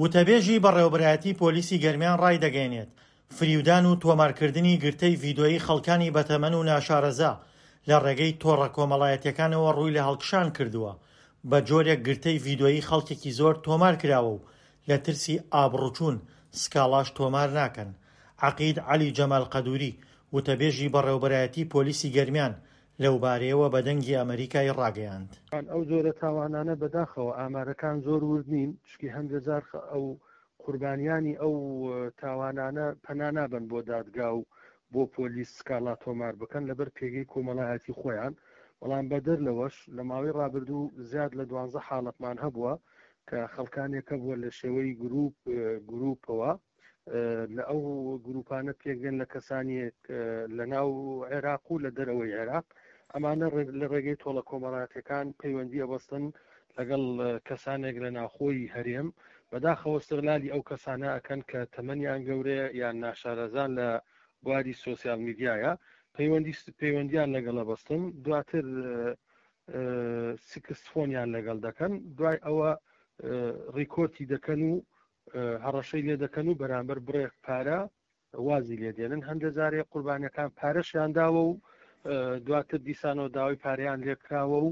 وتەبێژی بەڕێوەبەرایەتی پۆلیسی گەرمیان ڕایدەگەیەنێت، فریودان و تۆمارکردنی گرتەی ڤیدۆیی خەڵکانی بەتەمەن و ناشارەزا لە ڕێگەی تۆڕە کۆمەڵایەتیەکانەوە ڕووی لە هەڵکشان کردووە، بە جۆرێک گرتەی ڤیدۆیی خەڵکێکی زۆر تۆمار کراوە و لە ترسی ئابڕوچوون سکاڵاش تۆمار ناکەن. عەقید عەلی جەمال قەدوری، وتەبێژی بەڕێوەبەرایەتی پۆلیسی گەرمیان لەوبارەیەوە بە دەنگی ئەمەریکای ڕاگەیاند. ئەو جۆرە تاوانانە بەداخەوە ئامارەکان زۆر ورد نین، چونکی هەندێ جار ئەو قوربانیانی ئەو تاوانانە پەنا نابەن بۆ دادگا و بۆ پۆلیس سکاڵا تۆمار بکەن لەبەر پێگەی کۆمەڵایەتی خۆیان، بەڵام بەدەر لەوەش لە ماوەی ڕابردوو زیاد لە دوانزە حاڵەتمان هەبووە کە خەڵکانێک هەبووە لە شێوەی گروپ گروپەوە لە ئەو گروپانە پێکدێن لە کەسانێک لە ناو عێراق و لە دەرەوەی عێراق ئەمانە لە ڕێگەی تۆڵە کۆمەڵاتەکان پەیوەندی ئەبەستن لەگەڵ کەسانێک لە ناوخۆی هەرێم بەداخەوە استغلالی ئەو کەسانە ئەکەن کە تەمەنیان گەورەیە یان ناشارەزان لە بواری سۆسیال میدیایە پەیوەندی پەیوەندیان لەگەڵە بەستن دواتر سکست فۆنیان لەگەڵ دەکەن دوای ئەوە ڕیکۆرتی دەکەن و هەڕەشەی لێ دەکەن و بەرامبەر بڕێک پارە وازی لێ دێنن هەندە جارێ قوربانەکان پارەشیان داوە و دواتر دیسانەوە داوای پارەیان لێکراوە و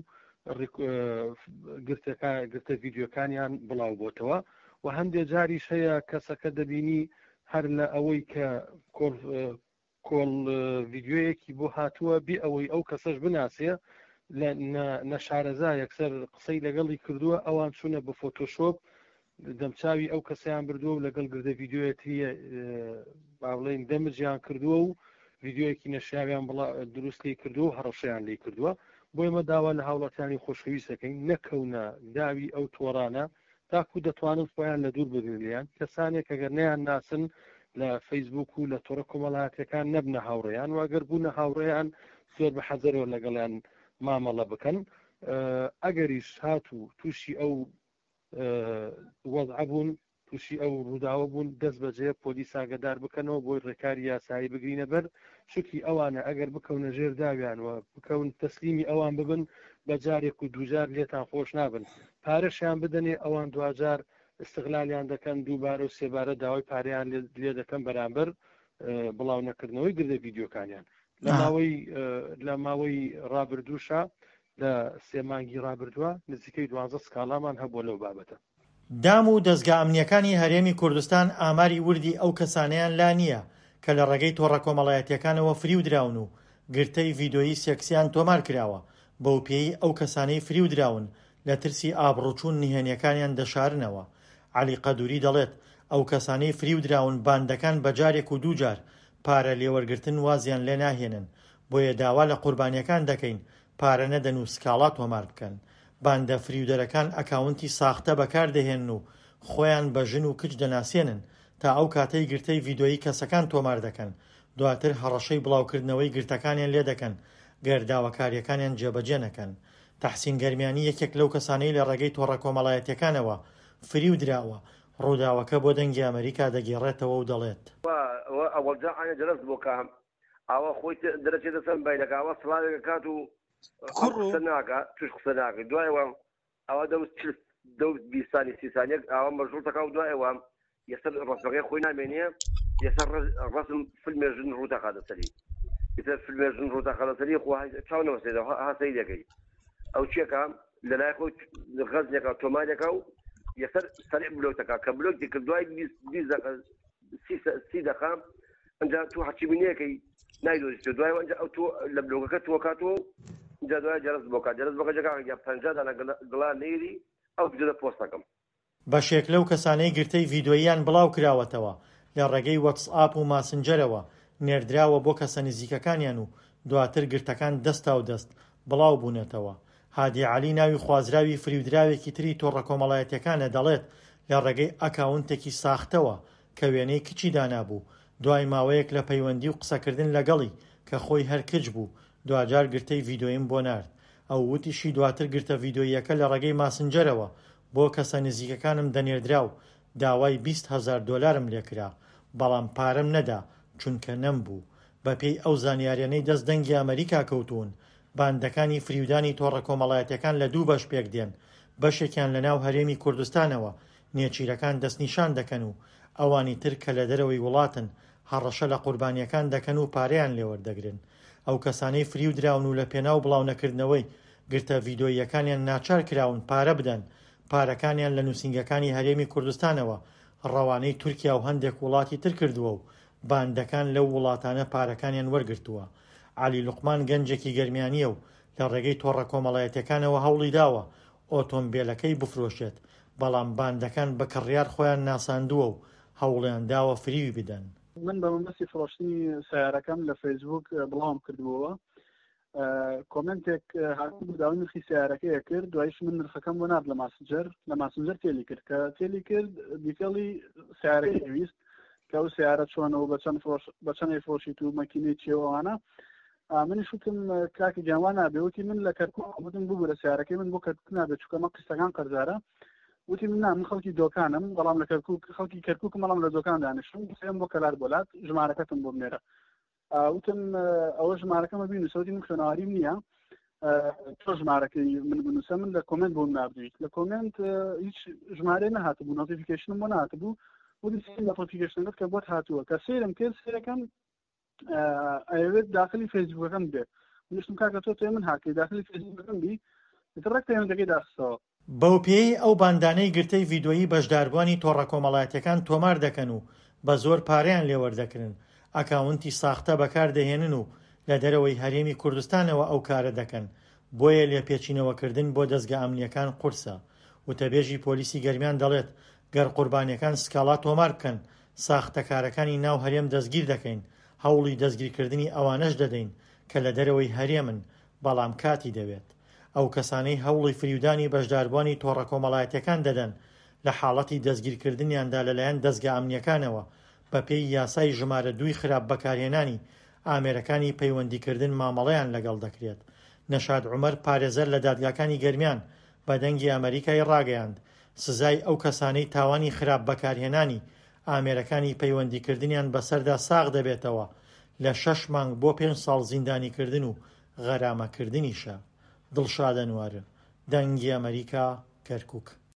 گرتەکە گرتە ڤیددیوکانیان بڵاو بۆتەوە و هەندێک جاریش هەیە کەسەکە دەبینی هەر لە ئەوەی کە کۆڵ ڤیدیۆیەکی بۆ هاتووە بێ ئەوەی ئەو کەسەش بناسێ لە نەشارەزا یەکسەر قسەی لەگەڵی کردووە ئەوان چوونە بە فۆتۆشۆپ دەمچاوی ئەو کەسیان بردووە و لەگەڵ گردە ڤیددیوەتری با بڵێین دەمجیان کردووە و ڤیددیوەکی نەشیاویان بڵا دروست لی کردووە و هەڕەشەیان لی کردووە بۆ ئێمە داوا لە هاوڵاتیانی خۆشەویست دەکەین نەکەونە داوی ئەو تۆڕانە تاکو دەتوانن خۆیان لە دوور بگرن لێیان، کەسانێک ئەگەر نەیان ناسن لە فەیسبووک و لە تۆڕە کۆمەڵایەتیەکان نەبنە هاوڕێیان و ئەگەر بوونە هاوڕێیان زۆر بە حەزەرەوە لەگەڵیان مامەڵە بکەن ئەگەریش هاتوو تووشی ئەو وەزعە بوون تووشی ئەو ڕووداوە بوون دەست بەجێ پۆلیس ئاگدار بکەنەوە بۆی ڕێکاری یاسایی بگرینە بەر چونکی ئەوانە ئەگەر بکەونە ژێر داویان و بکەون تەسلیمی ئەوان ببن بە جارێک و دووجار لێتان خۆش نابن پارەشیان بدەنێ ئەوان دواجار استغلالیان دەکەن دووبارە و سێبارە داوای پارەیان لێ دەکەن بەرامبەر بڵاو نەکردنەوەی گردە ڤیدیۆکانیان لە ماوەی لە ماوەی ڕابردووشا لە سێ مانگی ڕابردووە نزیکەی دوانزە سکاڵامان هەبووە لەو بابەتە. دام و دەزگا ئەمنییەکانی هەرێمی کوردستان ئاماری وردی ئەو کەسانەیان لا نییە کە لە ڕێگەی تۆڕە کۆمەڵایەتییەکانەوە فریو دراون و گرتەی ڤیدۆیی سێکسیان تۆمار کراوە، بەوپێیەی ئەو کەسانەی فریو دراون لە ترسی ئابڕووچوون نهێنییەکانیان دەشارنەوە. عەلی قەدوری دەڵێت، ئەو کەسانەی فریو دراون باندەکان بە جارێک و دووجار پارە لێوەرگرتن وازیان لێناهێنن، بۆیە داوا لە قوربانییەکان دەکەین پارە نەدەن و سکاڵا تۆمار بکەن. باندە فریودەرەکان ئەکاونتی ساختە بەکاردەهێنن و خۆیان بە ژن و کچ دەناسێنن تا ئەو کاتەی گرتەی ڤیدۆیی کەسەکان تۆمار دەکەن، دواتر هەڕەشەی بڵاوکردنەوەی گرتەکانیان لێدەکەن گەر داواکارییەکانیان جێبەجێ نەکەن. تەحسین گەرمیانی یەکێک لەو کەسانەی لە ڕێگەی تۆڕە کۆمەڵایەتییەکانەوە فریو دراوە، ڕووداوەکە بۆ دەنگی ئەمەریکا دەگێڕێتەوە و دەڵێت. ئاوا خۆی دەرەچێتە سەر مبایلەکە ئاوا سڵاوێک ئەکات و کوڕ قسە ناکا توش قسە ناکەی دوایەوە ئەوە دەوت چل دەوت 20 سانی سی سانیەک ئاوا مەژغوڵ تەکا و دوایەوە یەسەر ڕەسمەکەی خۆی نامێنێ یەسەر ڕەسم فیلمێ ژن ڕوو دەخاتە سەری ئیتر فیلمێ ژن ڕوو دەخاتە سەری خۆ چاو نەوەستێتەوە ها سەیری دەکەی ئەو چیەکە لەلای خۆی غەزنێکە تۆمارێکە و یەسەر سەریع بلۆک دەکات کە بلۆکی کرد دوای 20 دقە سی دەقە ئەجا تۆ هەرچی بینەکەی نایدۆزیتەوە دوای ئەنجا ئەو تۆ لە بلۆگەکە تۆ کاتەوە ئینجا دوای جەرس بۆ کات جەرس بۆکە جەکا یا 50 دانە گڵا نێری ئەو ڤیدیۆ پۆست دەکەم. بەشێک لەو کەسانەی گرتەی ڤیدۆییان بڵاوکراوەتەوە لە ڕێگەی وەتسئاپ و ماسنجەرەوە نێردراوە بۆ کەسە نزیکەکانیان و دواتر گرتەکان دەستاودەست بڵاوبوونەتەوە. هادی عەلی ناوی خوازراوی فریودراوێکی تری تۆڕە کۆمەڵایەتیەکانە دەڵێت لە ڕێگەی ئەکاونتێکی ساختەوە کە وێنەی کچی دانابوو دوای ماوەیەک لە پەیوەندی و قسەکردن لەگەڵی کە خۆی هەر کچ بوو دواجار گرتەی ڤیدۆیم بۆ نارد ئەو وتیشی دواتر گرتە ڤیدۆییەکە لە ڕێگەی ماسنجەرەوە بۆ کەسە نزیکەکانم دەنێردرا و داوای 20 هەزار دۆلارم لێکرا بەڵام پارەم نەدا چونکە نەمبوو بەپێی ئەو زانیاریانەی دەست دەنگی ئەمەریکا کەوتوون باندەکانی فریودانی تۆڕە کۆمەڵایەتیەکان لە دوو بەش پێکدێن، بەشێکیان لەناو هەرێمی کوردستانەوە نێچیرەکان دەستنیشان دەکەن و ئەوانی تر کە لە دەرەوەی وڵاتن هەڕەشە لە قوربانییەکان دەکەن و پارەیان لێوەردەگرن. ئەو کەسانەی فریودراون و لە پێناو بڵاونەکردنەوەی گرتە ڤیدۆییەکانیان ناچار کراون پارە بدەن، پارەکانیان لە نووسینگەکانی هەرێمی کوردستانەوە ڕەوانەی تورکیا و هەندێک وڵاتی تر کردووە و باندەکان لەو وڵاتانە پارەکانیان وەرگرتووە. عەلی لوقمان گەنجێکی گەرمیانییە و لە ڕێگەی تۆڕە کۆمەڵایەتییەکانەوە هەوڵیداوە ئۆتۆمبێلەکەی بفرۆشێت، بەڵام باندەکان بە کڕیار خۆیان ناساندووە و هەوڵیانداوە فریوی بدەن. من بە مەبەستی فرۆشتنی سەیارەکەم لە فەیسبووک بڵاوم کردبووەوە، کۆمێنتێک هاتبوو داوای نرخی سیارەکەی کرد دوایش من نرخەکەم بۆ نارد لە ماسنجەر لە ماسنجەر تێلی کرد کە تێلی کرد دیتێڵی سیارەکەی ویست کە ئەو سیارە چۆنە و بە چەند فرۆش بە چەند ئەیفرۆشیت و مەکینەی چیە و ئەوانە منیش وتم کاکە گیان وا نابێ وتی من لە کەرکوک وتم ببورە سیارەکەی من بۆ کەرکوک نابێت چونکە مە قیستەکان قەرزارە وتی من نا من خەڵکی دۆکانم بەڵام لە کەرکوک خەڵکی کەرکوکم بەڵام لە دۆکان دانیشتم سێم بۆ کەلار بۆلات ژمارەکەتم بۆ بنێرە وتم ئەوە ژمارەکەمە بینوسە وتی من خوێنەواریم نییە تۆ ژمارەکەی من بنووسە من لە کۆمنت بۆم نردویت لە کۆمنت هیچ ژمارە نەهاتبوو نۆتیفیکیشنم بۆ نهاتبوو وتی نۆتیفیکیشنەکەت کە بۆت هاتووە کە سەیرم کرد سەیرەکەم ئەیەوێت داخلی فەیسبووکەکەم بێت منیشتم کاکە تۆ تێ من هاکەی داخلی فەیسبووکەکەم بی ئیتر ڕێک پەیوەندەکەی داخستەوە. بەوپێیەی ئەو باندانەی گرتەی ڤیدۆیی بەشداربووانی تۆڕە کۆمەڵایەتیەکان تۆمار دەکەن و بە زۆر پارەیان لێوەردەکرن، ئەکاونتی ساختە بەکاردەهێنن و لە دەرەوەی هەرێمی کوردستانەوە ئەو کارە دەکەن، بۆیە لێپێچینەوەکردن بۆ دەزگا ئەمنییەکان قورسە. وتەبێژی پۆلیسی گەرمیان دەڵێت، گەر قوربانیەکان سکاڵا تۆمار بکەن، ساختەکارەکانی ناو هەرێم دەستگیر دەکەین، هەوڵی دەستگیرکردنی ئەوانەش دەدەین کە لە دەرەوەی هەرێمن، بەڵام کاتی دەوێت. ئەو کەسانەی هەوڵی فریودانی بەشداربووانی تۆڕە کۆمەڵایەتیەکان دەدەن، لە حاڵەتی دەستگیرکردنیاندا لەلایەن دەزگا ئەمنیەکانەوە، بەپێی یاسای ژمارە دووی خراپ بەکارهێنانی ئامێرەکانی پەیوەندیکردن مامەڵەیان لەگەڵ دەکرێت. نەشاد عومەر پارێزەر لە دادگاکانی گەرمیان بە دەنگی ئەمەریکای ڕاگەیاند، سزای ئەو کەسانەی تاوانی خراپ بەکارهێنانی ئامێرەکانی پەیوەندیکردنیان بەسەردا ساغ دەبێتەوە لە شەش مانگ بۆ پێنج ساڵ زیندانیکردن و غەرامەکردنیشە. دڵشاد ئەنوەر، دەنگی ئەمەریکا، کەرکوک.